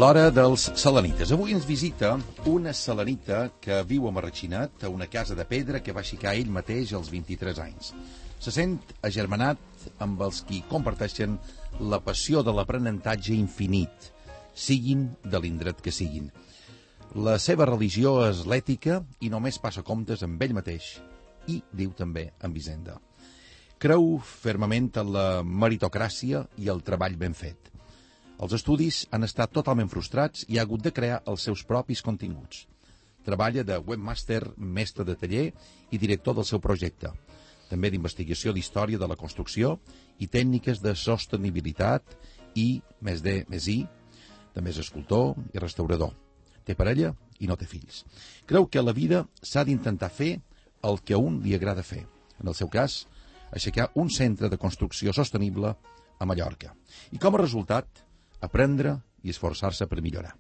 L'hora dels selenites. Avui ens visita una selenita que viu a Marratxinat, a una casa de pedra que va aixecar ell mateix als 23 anys. Se sent agermanat amb els qui comparteixen la passió de l'aprenentatge infinit, siguin de l'indret que siguin. La seva religió és l'ètica i només passa comptes amb ell mateix i, diu també, amb Hisenda. Creu fermament en la meritocràcia i el treball ben fet. Els estudis han estat totalment frustrats i ha hagut de crear els seus propis continguts. Treballa de webmaster, mestre de taller i director del seu projecte. També d'investigació d'història de la construcció i tècniques de sostenibilitat i, més D, més I, també és escultor i restaurador. Té parella i no té fills. Creu que a la vida s'ha d'intentar fer el que a un li agrada fer. En el seu cas, aixecar un centre de construcció sostenible a Mallorca. I com a resultat, aprendre i esforçar-se per millorar.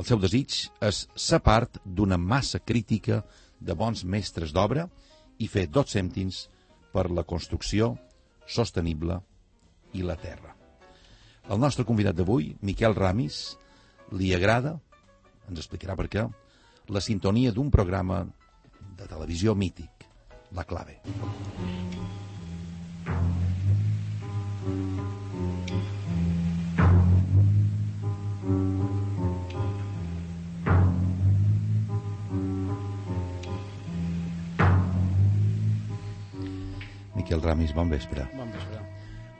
El seu desig és ser part d'una massa crítica de bons mestres d'obra i fer 2 cèntims per la construcció sostenible i la terra. El nostre convidat d'avui, Miquel Ramis, li agrada, ens explicarà per què, la sintonia d'un programa de televisió mític, La Clave. Miquel Ramis, bon vespre. Bon vespre.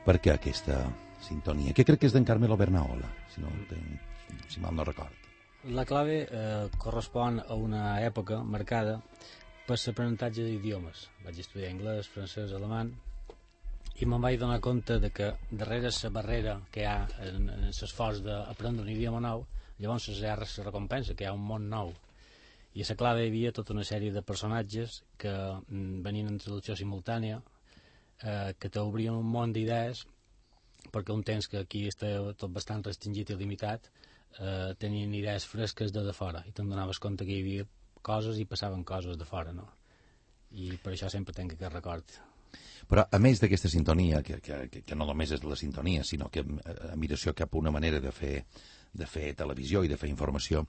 Per què aquesta sintonia? Que crec que és d'en Carmelo Bernaola, si mal no record. La clave correspon a una època marcada per l'aprenentatge d'idiomes. Vaig estudiar anglès, francès, alemany, i me'n vaig donar compte de que darrere la barrera que hi ha en l'esforç d'aprendre un idioma nou, llavors hi ha la recompensa, que hi ha un món nou. I a la clave hi havia tota una sèrie de personatges que venien en traducció simultània, que t'obrien un món d'idees, perquè un temps que aquí està tot bastant restringit i limitat, tenien idees fresques de fora, i te'n donaves compte que hi havia coses i passaven coses de fora, no? I per això sempre tenc aquest record. Però a més d'aquesta sintonia, que no només és la sintonia, sinó que admiració cap a una manera de fer televisió i de fer informació,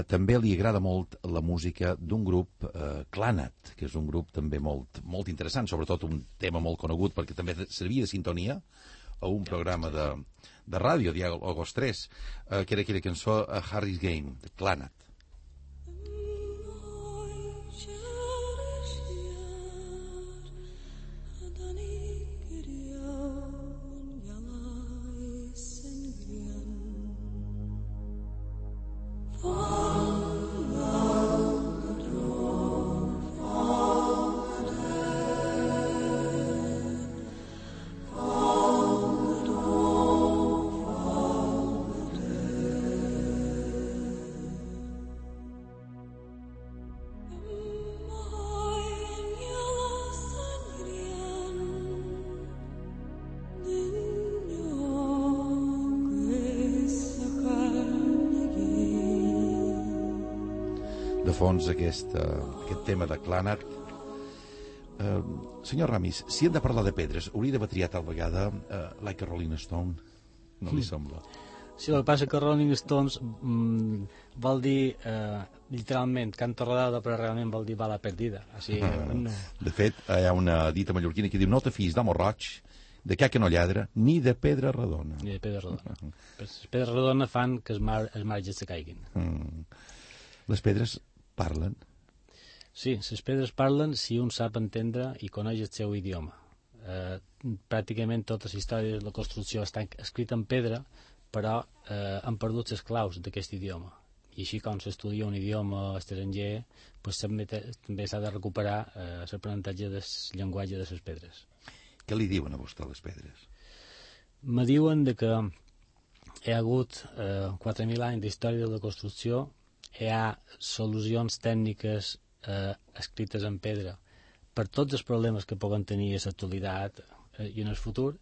també li agrada molt la música d'un grup, Clanat, que és un grup també molt, molt interessant, sobretot un tema molt conegut perquè també servia de sintonia a un programa de ràdio, Diàgos 3, que era aquella cançó Harry's Game, de Clanat. De fons aquest tema de Clanat. Senyor Ramis, si hem de parlar de pedres, hauria d'haver triat tal vegada Like a Rolling Stone, no li sembla? Sí, el que passa que Rolling Stones vol dir literalment canto rodado, però realment vol dir bala perdida. Així, no. De fet, hi ha una dita mallorquina que diu no te fiïs d'amo roig, de ca que no lladra, ni de pedra redona. Ni de pedra redona. Les pedres redones fan que els marges se caiguin. Les pedres parlen? Sí, les pedres parlen si un sap entendre i coneix el seu idioma. Pràcticament tota la història de la construcció està escrita en pedra, però han perdut les claus d'aquest idioma. I així com s'estudia un idioma estranger, doncs també s'ha de recuperar l'aprenentatge del llenguatge de les pedres. Què li diuen a vostè les pedres? Me diuen que hi ha hagut 4.000 anys d'història de la construcció, hi ha solucions tècniques escrites en pedra per tots els problemes que poden tenir a l'actualitat i en el futur,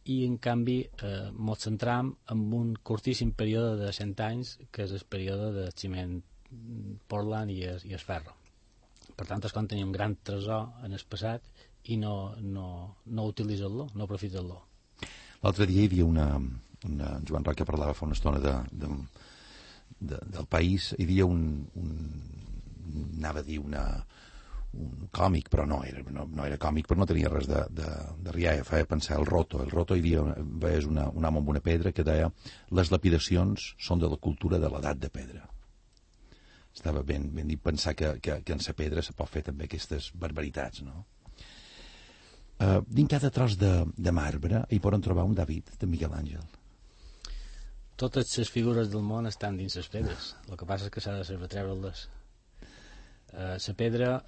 i en canvi ens centram en un curtíssim període de 100 anys, que és el període de ciment Portland i el ferro. Per tant, és com tenir un gran tresor en el passat i no utilitzar-lo, no aprofitar-lo. L'altre dia hi havia en Joan Roca parlava fa una estona del país, hi havia anava a dir un còmic, però no era còmic, però no tenia res de rialla, feia pensar el Roto hi havia, és un home amb una pedra que deia: les lapidacions són de la cultura de l'edat de pedra. Estava ben dit pensar que en la pedra se pot fer també aquestes barbaritats, no? Dins cada tros de marbre hi poden trobar un David de Miquel Àngel. Totes les figures del món estan dins les pedres, el que passa és que s'ha de saber treure-les. La pedra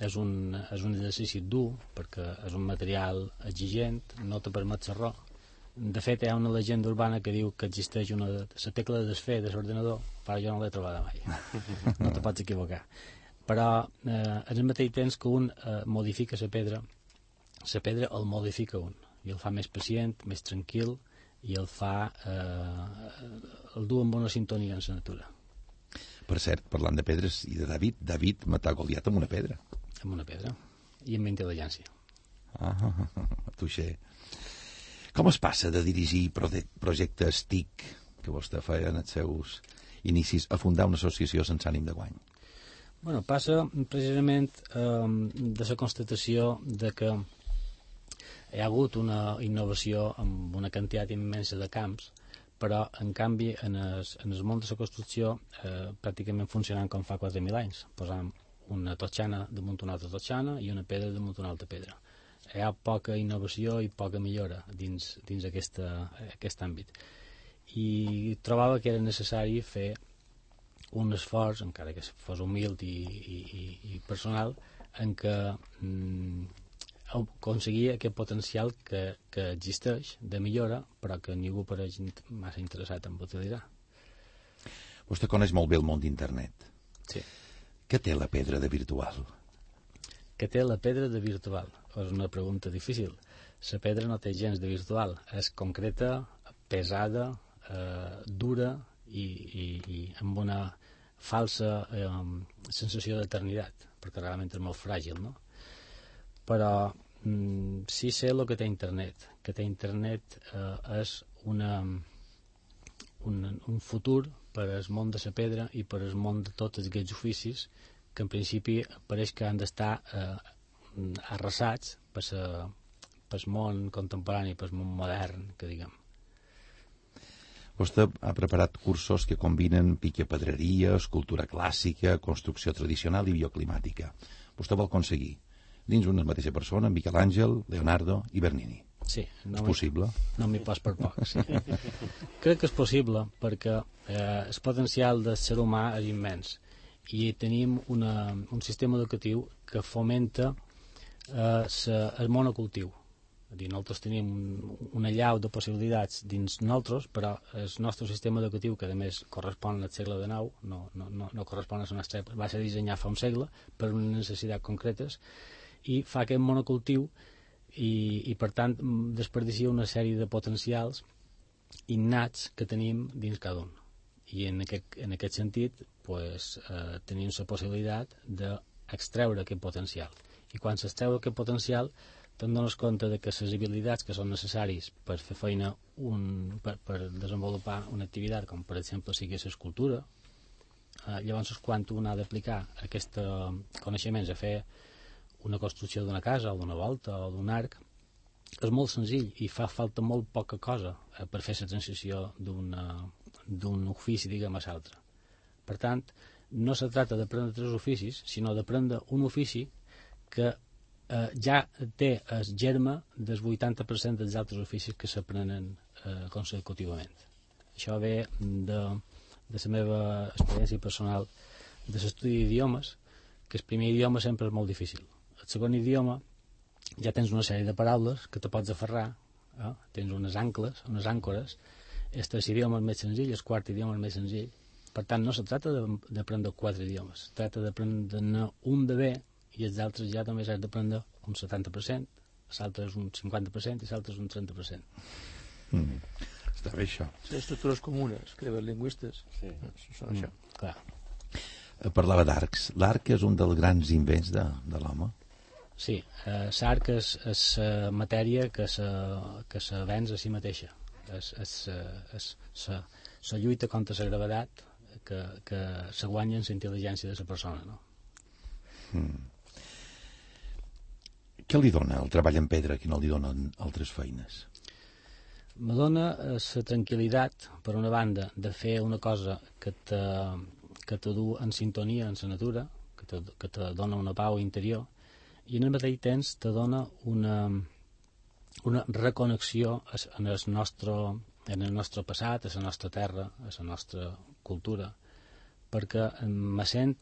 és un exercici dur perquè és un material exigent, no te permet xerrar. De fet, hi ha una llegenda urbana que diu que existeix la tecla de desfer de l'ordenador, però jo no l'he trobada mai. No te pots equivocar. Però en el mateix temps que un modifica la pedra el modifica un i el fa més pacient, més tranquil, i el fa el du amb una sintonia en la natura. Per cert, parlant de pedres i de David matà Goliat amb una pedra. Amb una pedra i amb intel·ligència. Tuixer. Com es passa de dirigir projectes TIC que vostè feia en els seus inicis a fundar una associació sense ànim de guany? Bueno, passa precisament de la constatació de que hi ha hagut una innovació amb una quantitat immensa de camps, però en canvi en el món de la construcció pràcticament funcionant com fa 4.000 anys, posant una totxana damunt una altra totxana i una pedra damunt una altra pedra. Hi ha poca innovació i poca millora dins aquest àmbit, i trobava que era necessari fer un esforç, encara que fos humil i personal, en què aconseguir aquest potencial que existeix de millora, però que ningú pareix massa interessat en utilitzar. Vostè coneix molt bé el món d'internet. Sí. Què té la pedra de virtual? Què té la pedra de virtual? És una pregunta difícil. La pedra no té gens de virtual. És concreta, pesada, dura i amb una falsa sensació d'eternitat, perquè realment és molt fràgil, no? Però sí sé el que té internet. Que té internet és un futur per al món de la pedra i per al món de tots aquests oficis que en principi pareix que han d'estar arrasats pel món contemporani, pel món modern, que diguem. Vostè ha preparat cursos que combinen piquepedreria, escultura clàssica, construcció tradicional i bioclimàtica. Vostè vol aconseguir dins una mateixa persona Miquel Àngel, Leonardo i Bernini. Sí. És possible? No m'hi pas per poc, sí. Crec que és possible perquè el potencial del ser humà és immens i tenim un sistema educatiu que fomenta el monocultiu. És a dir, nosaltres tenim una llau de possibilitats dins nosaltres, però el nostre sistema educatiu, que a més correspon al segle XIX, no correspon a la nostra època, va ser dissenyat fa un segle per unes necessitats concretes, i fa aquest monocultiu i per tant desperdicia una sèrie de potencials innats que tenim dins cada un. I en aquest sentit tenim la possibilitat d'extreure aquest potencial. I quan s'extreu aquest potencial te'n dones compte de que les habilitats que són necessàries per fer feina per desenvolupar una activitat, com per exemple sigui l'escultura, llavors quan un ha d'aplicar aquests coneixements a fer una construcció d'una casa o d'una volta o d'un arc, és molt senzill i fa falta molt poca cosa per fer la transició d'un ofici, diguem, a l'altre. Per tant, no se tracta d'aprendre 3 oficis, sinó d'aprendre un ofici que ja té el germe del 80% dels altres oficis que s'aprenen consecutivament. Això ve de la meva experiència personal de l'estudi d'idiomes, que el primer idioma sempre és molt difícil. El segon idioma ja tens una sèrie de paraules que te pots aferrar, tens unes ancles, unes àncores. El tercer idioma és més senzill, el quart idioma és més senzill. Per tant, no se tracta d'aprendre 4 idiomes, se tracta d'aprendre un de bé i els altres ja només has d'aprendre un 70%, l'altre és un 50% i l'altre és un 30%. Està bé això. Les estructures comunes que els lingüistes són això. Clar. Parlava d'arcs. L'arc és un dels grans invents de l'home. Sí, l'arc és matèria que se venç a si mateixa. la lluita contra la gravetat que se guanya en la intel·ligència de la persona, no? Què li dona el treball en pedra que no li donen altres feines? Me dona la tranquil·litat, per una banda, de fer una cosa que te du en sintonia amb la natura, que te dona una pau interior, i en el mateix temps te dona una reconnexió en el nostre passat, a la nostra terra, a la nostra cultura, perquè me sent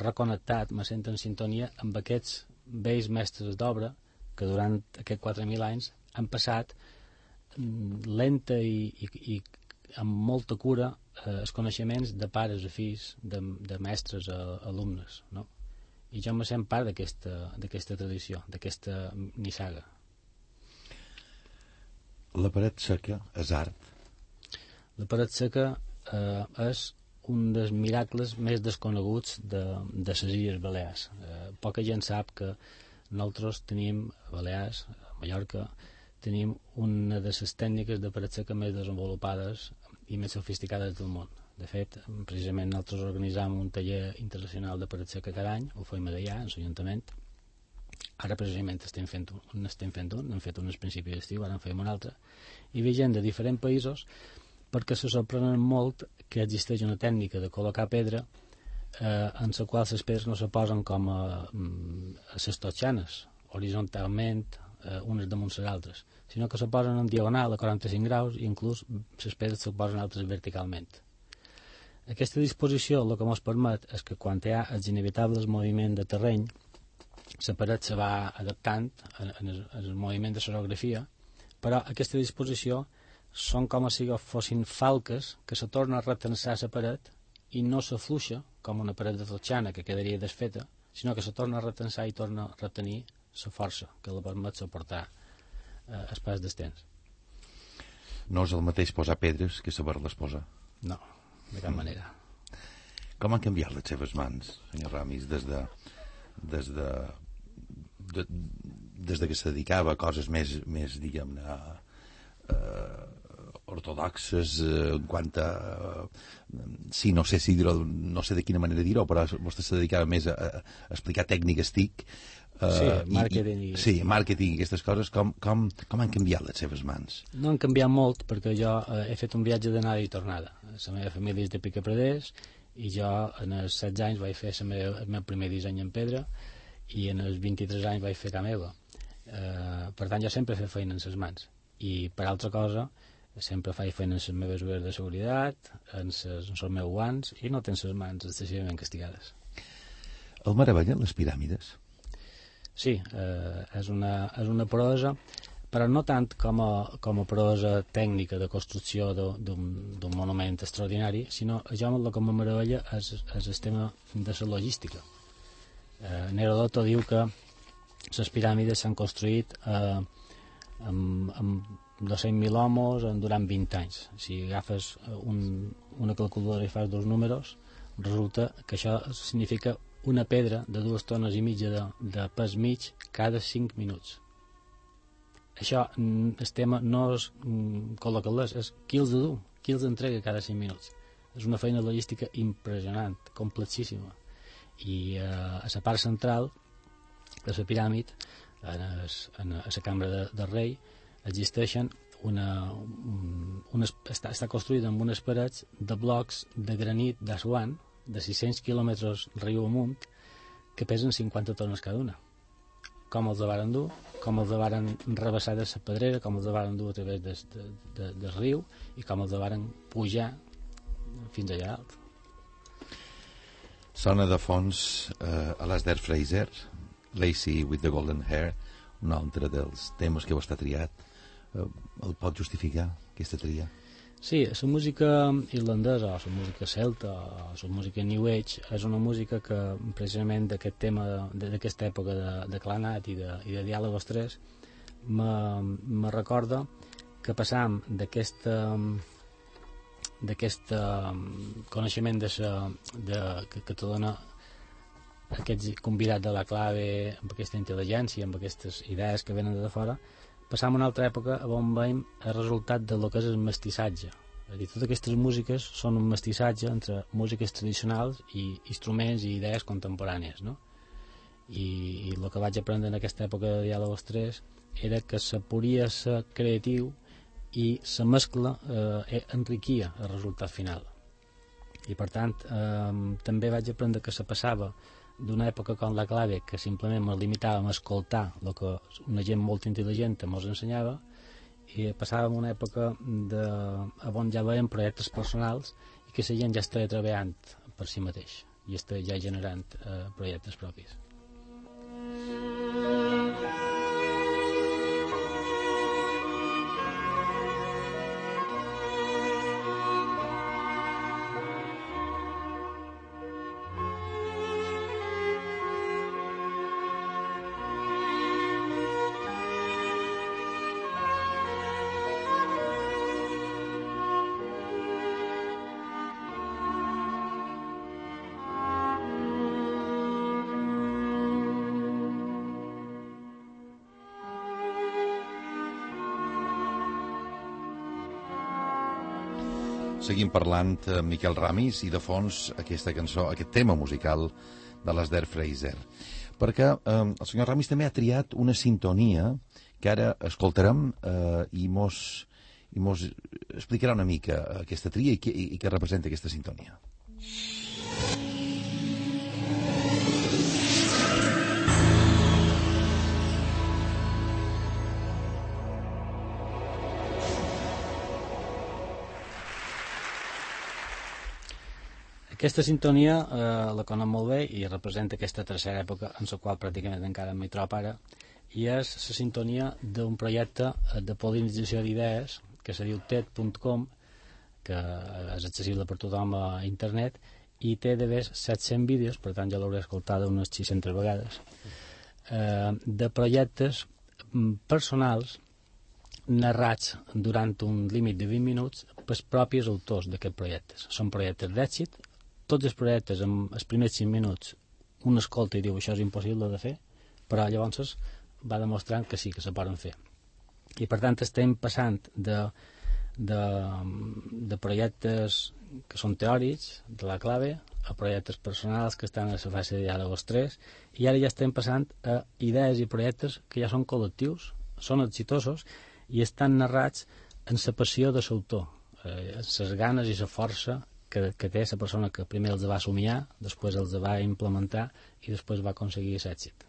reconnectat, me sent en sintonia amb aquests vells mestres d'obra que durant aquests 4.000 anys han passat lenta i amb molta cura els coneixements de pares a fills, de mestres a alumnes, no? I jo me sent part d'aquesta tradició, d'aquesta nissaga. La paret seca és art? La paret seca és un dels miracles més desconeguts de les Illes Balears. Poca gent sap que nosaltres tenim a Balears, a Mallorca, tenim una de les tècniques de paret seca més desenvolupades i més sofisticades del món. De fet, precisament nosaltres organitzam un taller internacional de paret seca cada any, ho fem allà, en l'Ajuntament. Ara precisament estem fent un, hem fet un al principi d'estiu, ara en fem un altre, i ve gent de diferents països perquè se sorprenen molt que existeix una tècnica de col·locar pedra en la qual les pedres no se posen com a les totxanes, horitzontalment, unes damunt les altres, sinó que se posen en diagonal a 45 graus i inclús les pedres se posen altres verticalment. Aquesta disposició el que ens permet és que quan hi ha els inevitables moviments de terreny, la paret se va adaptant en el moviment de l'orografia, però aquesta disposició són com si fossin falques que se torna a retensar la paret i no s'afluixa com una paret de totxana que quedaria desfeta, sinó que se torna a retensar i torna a retenir la força que la permet suportar el pas del temps. No és el mateix posar pedres que saber-les posar? No, de cap manera. Com han canviat les seves mans, senyor Ramis, des de que se dedicava a coses més diguem-ne, ortodoxes en quant a sí, no sé de quina manera dir-ho, però vostè se dedicava més a explicar tècniques TIC, màrqueting màrqueting i aquestes coses. Com han canviat les seves mans? No han canviat molt, perquè jo he fet un viatge d'anada i tornada. La meva família és de Picapreders i jo en els 16 anys vaig fer el meu primer disseny en pedra i en els 23 anys vaig fer camp per tant jo sempre he fet feina en les mans i per altra cosa sempre faig feina en les meves ulleres de seguretat, en els meus guants, i no tens les mans excessivament castigades. El meravellen les piràmides? Sí, és una proesa, però no tant com a proesa tècnica de construcció d'un monument extraordinari, sinó jo el que me meravella és el tema de la logística. Herodoto diu que les piràmides s'han construït amb 200.000 homes durant 20 anys. Si agafes una calculadora i fas dos números, resulta que això significa una pedra de 2 tones i mitja de pes mig cada 5 minuts. Això, el tema no és col·locar-les, és qui els du, qui els entrega cada 5 minuts. És una feina logística impressionant, complexíssima. I a la part central de la piràmide, a la cambra del rei, existeixen està construïda amb unes parets de blocs de granit d'Assuan de 600 quilòmetres riu amunt que pesen 50 tones cada una. Com els varen dur, com els varen rebassar de la pedrera, com els varen dur a través del riu i com els varen pujar fins allà alt. Sona de fons a l'Asder Fraser, Lacy with the Golden Hair, un altre dels temes que vostè ha triat. El pot justificar, aquesta tria? Sí, la música irlandesa, o la música celta, o la música New Age, és una música que precisament d'aquest tema, d'aquesta època de clanat i de diàleg tres, me recorda que passam d'aquest coneixement que te dona aquests convidats de la clave amb aquesta intel·ligència, amb aquestes idees que venen de fora, passam a una altra època on veiem el resultat del que és el mestissatge. És a dir, totes aquestes músiques són un mestissatge entre músiques tradicionals i instruments i idees contemporànies, no? I el que vaig aprendre en aquesta època de Diàlogos 3 era que se podia ser creatiu i la mescla enriquia el resultat final. I per tant també vaig aprendre que se passava d'una època com la clave, que simplement ens limitàvem a escoltar el que una gent molt intel·ligent ens ensenyava, i passàvem una època on ja veiem projectes personals i que la gent ja està treballant per si mateix i està ja generant projectes propis. Seguim parlant amb Miquel Ramis i de fons aquesta cançó, aquest tema musical de l'Esder Fraser. Perquè el senyor Ramis també ha triat una sintonia que ara escoltarem i mos explicarà una mica aquesta tria i què representa aquesta sintonia. Aquesta sintonia la conec molt bé i representa aquesta tercera època en la qual pràcticament encara m'hi trobo ara, i és la sintonia d'un projecte de polinització d'idees que se diu TED.com, que és accessible per tothom a internet i té de més 700 vídeos, per tant ja l'hauré escoltat unes 600 vegades, de projectes personals narrats durant un límit de 20 minuts pels propis autors d'aquests projectes. Són projectes d'èxit. Tots els projectes, en els primers 5 minuts, un escolta i diu això és impossible de fer, però llavors va demostrant que sí, que se poden fer. I per tant estem passant de projectes que són teòrics, de la clave, a projectes personals que estan a la fase de Diàlogos 3, i ara ja estem passant a idees i projectes que ja són col·lectius, són exitosos i estan narrats en la passió de l'autor, en les ganes i la força que té la persona que primer els va somiar, després els va implementar i després va aconseguir l'èxit.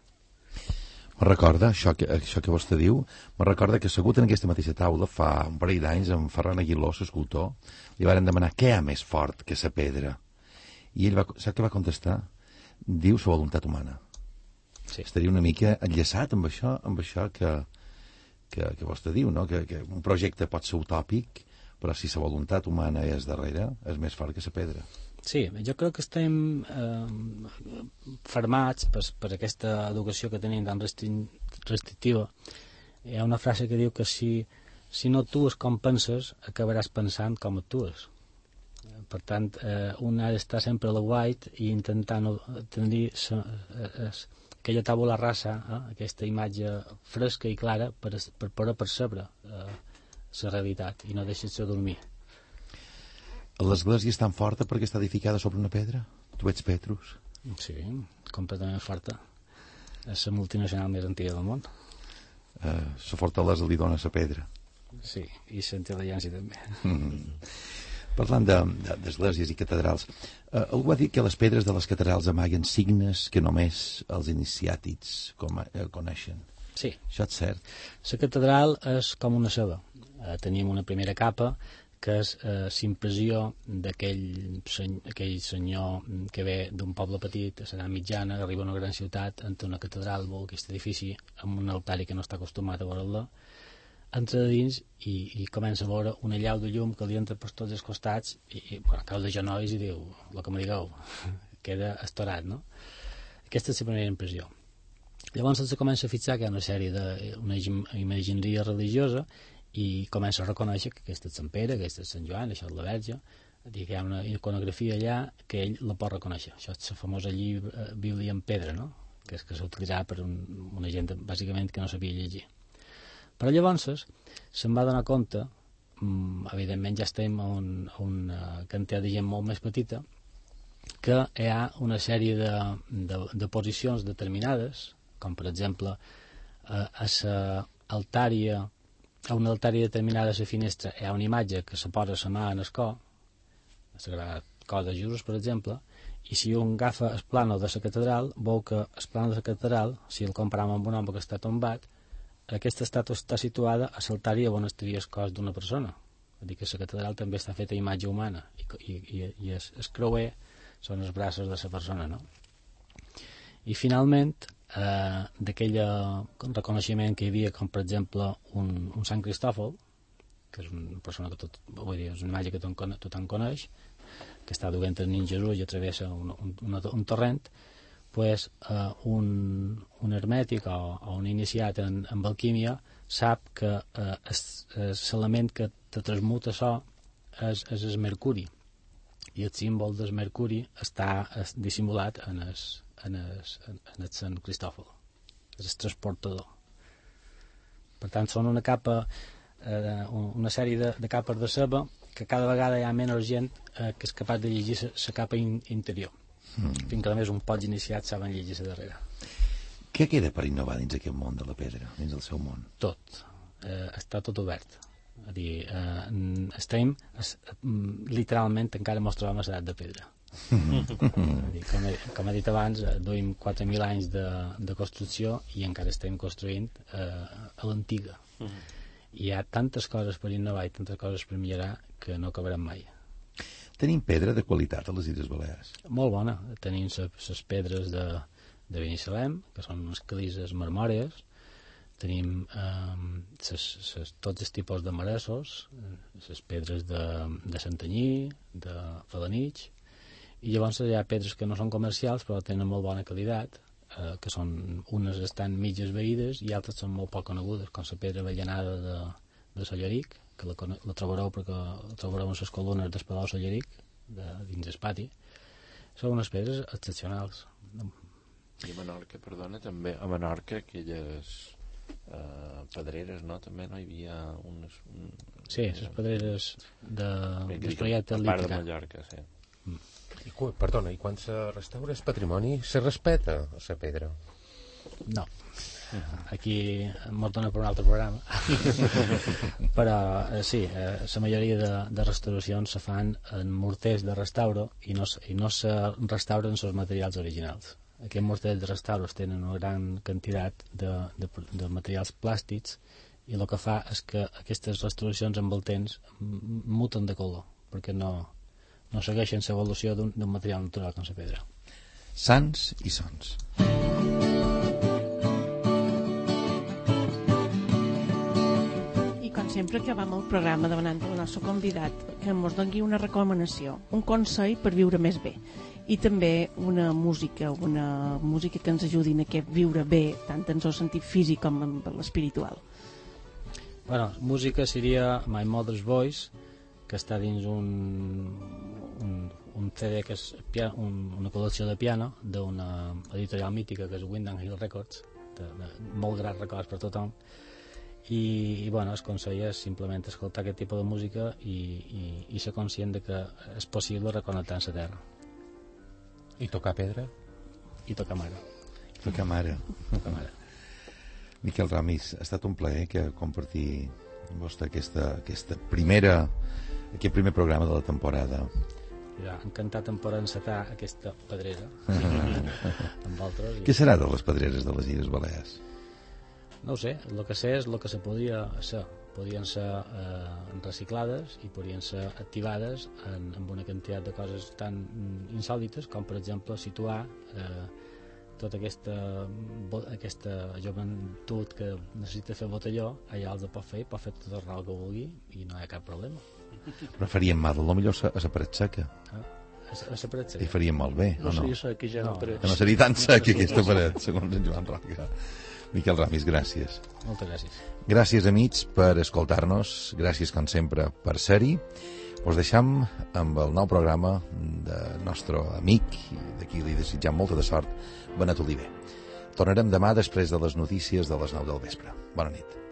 Me recorda, això que vostè diu, me recorda que assegut en aquesta mateixa taula fa un parell d'anys amb Ferran Aguiló, l'escultor, li varen demanar què hi ha més fort que la pedra. I ell sap què va contestar? Diu la voluntat humana. Sí. Estaria una mica enllaçat amb això que vostè diu, no? Que un projecte pot ser utòpic, però si la voluntat humana és darrere, és més fort que la pedra. Sí, jo crec que estem formats per aquesta educació que tenim tan restrictiva. Hi ha una frase que diu que si no actues com penses, acabaràs pensant com actues. Per tant, un ha d'estar sempre a la guait i intentant tenir aquella tàbula rasa, aquesta imatge fresca i clara per poder percebre la realitat i no deixar-se dormir. L'església és tan forta perquè està edificada sobre una pedra? Tu ets Petrus? Sí, completament forta. És la multinacional més antiga del món. La fortalesa li dona la pedra. Sí, i la intel·ligència també. Parlant d'esglésies i catedrals, algú va dir que les pedres de les catedrals amaguen signes que només els iniciàtics coneixen. Sí. Això és cert. La catedral és com una ceba. Tenim una primera capa que és l'impressió d'aquell senyor que ve d'un poble petit a l'edat mitjana, que arriba a una gran ciutat, entra una catedral, veu aquest edifici amb un altari que no està acostumat a veure-la, entra a dins i comença a veure una llau de llum que li entra per tots els costats i cau de genolls i diu, el que me digueu, queda estorat, no? Aquesta és la primera impressió. Llavors se comença a fixar que hi ha una sèrie d'una imagineria religiosa i comença a reconèixer que aquesta és Sant Pere, aquesta és Sant Joan, això és la Verge, que hi ha una iconografia allà que ell la pot reconèixer. Això és la famosa Bíblia en pedra, no? Que s'utilitzava per una gent bàsicament que no sabia llegir. Però llavors se'm va donar compte, evidentment ja estem a una quantitat de gent molt més petita, que hi ha una sèrie de posicions determinades, com per exemple a una altària determinada a la finestra hi ha una imatge que se posa la mà en el cor, la Sagrada Cor de Jesús, per exemple, i si un agafa el plànol de la catedral, veu que el plànol de la catedral, si el comparam amb un home que està tombat, aquesta estàtua està situada a l'altari on estaria el cos d'una persona. Vull dir que la catedral també està feta a imatge humana i el creuer són els braços de la persona, no? I finalment, d'aquell reconeixement que hi havia, com per exemple un Sant Cristòfol, que és una persona que és una imatge que tothom coneix, que està duent el nin Jesús i travessa un torrent, pues, un hermètic o un iniciat en alquímia sap que l'element que te transmuta això és el mercuri, i el símbol del mercuri està dissimulat en el Sant Cristòfol, és el transportador. Per tant, són una sèrie de capes de ceba que cada vegada hi ha menys gent que és capaç de llegir la capa interior, fins que a més un poc iniciat saben llegir la darrere. Què queda per innovar dins aquest món de la pedra, dins el seu món? Tot, està tot obert. És a dir, estem literalment encara ens trobem a l'edat de pedra. Com he dit abans, duim 4.000 anys de construcció i encara estem construint a l'antiga. Hi ha tantes coses per innovar i tantes coses per millorar que no acabarem mai. Tenim pedra de qualitat a les Illes Balears? Molt bona. Tenim les pedres de Binissalem, que són unes calices marmòries. Tenim tots els tipus de maressos, les pedres de Santanyí, de Falanich, i llavors hi ha pedres que no són comercials però tenen molt bona qualitat, que són, unes estan mitges veïdes i altres són molt poc conegudes, com la pedra avellanada de Solleric, que la trobareu perquè la trobareu en les columnes del Palau Solleric, dins el pati. Són unes pedres excepcionals. I a Menorca, perdona, també a Menorca aquelles pedreres, no? També no hi havia unes... Sí, les pedreres del projecte a part de Mallorca, sí. Perdona, i quan se restaura el patrimoni, se respeta la pedra? No. Aquí m'ho dona per un altre programa. Però sí, la majoria de restauracions se fan en morters de restauro i no se restauren els materials originals. Aquests morters de restauro tenen una gran quantitat de materials plàstics i el que fa és que aquestes restauracions amb el temps muten de color, perquè no segueixen l'evolució d'un material natural com la pedra. Sants i sons. I com sempre acabam el programa demanant al nostre convidat que ens doni una recomanació, un consell per viure més bé i també una música que ens ajudi en aquest viure bé, tant en el sentit físic com en l'espiritual. Bueno, música seria My Mother's Voice, que està dins un CD que és una col·lecció de piano d'una editorial mítica que és Windham Hill Records, de molt grans records per tothom, i bueno, es consell és simplement escoltar aquest tipus de música i ser conscient de que és possible reconnectar amb la terra. I tocar pedra? I tocar mare. Tocar mare. Miquel Ramis, ha estat un plaer que compartir amb vostè aquest primer programa de la temporada. Ja, encantat en poder encetar aquesta pedrera amb altres. Què serà de les pedreres de les Illes Balears? No ho sé, el que sé és el que se podia ser. Podien ser reciclades i podien ser activades amb una quantitat de coses tan insòlites com per exemple situar tota aquesta joventut que necessita fer botelló, allà els pot fer tot el rol que vulgui i no hi ha cap problema. Però faríem mal, potser a la paret seca. A la paret seca? I faríem molt bé, no? No seria seca ja no. Que no seria tan seca aquesta paret, segons en Joan Roca. Miquel Ramis, gràcies. Moltes gràcies. Gràcies, amics, per escoltar-nos. Gràcies, com sempre, per ser-hi. Us deixam amb el nou programa del nostre amic, i d'aquí li desitjam molta de sort, Benet Oliver. Tornarem demà després de les notícies de les 9 del vespre. Bona nit.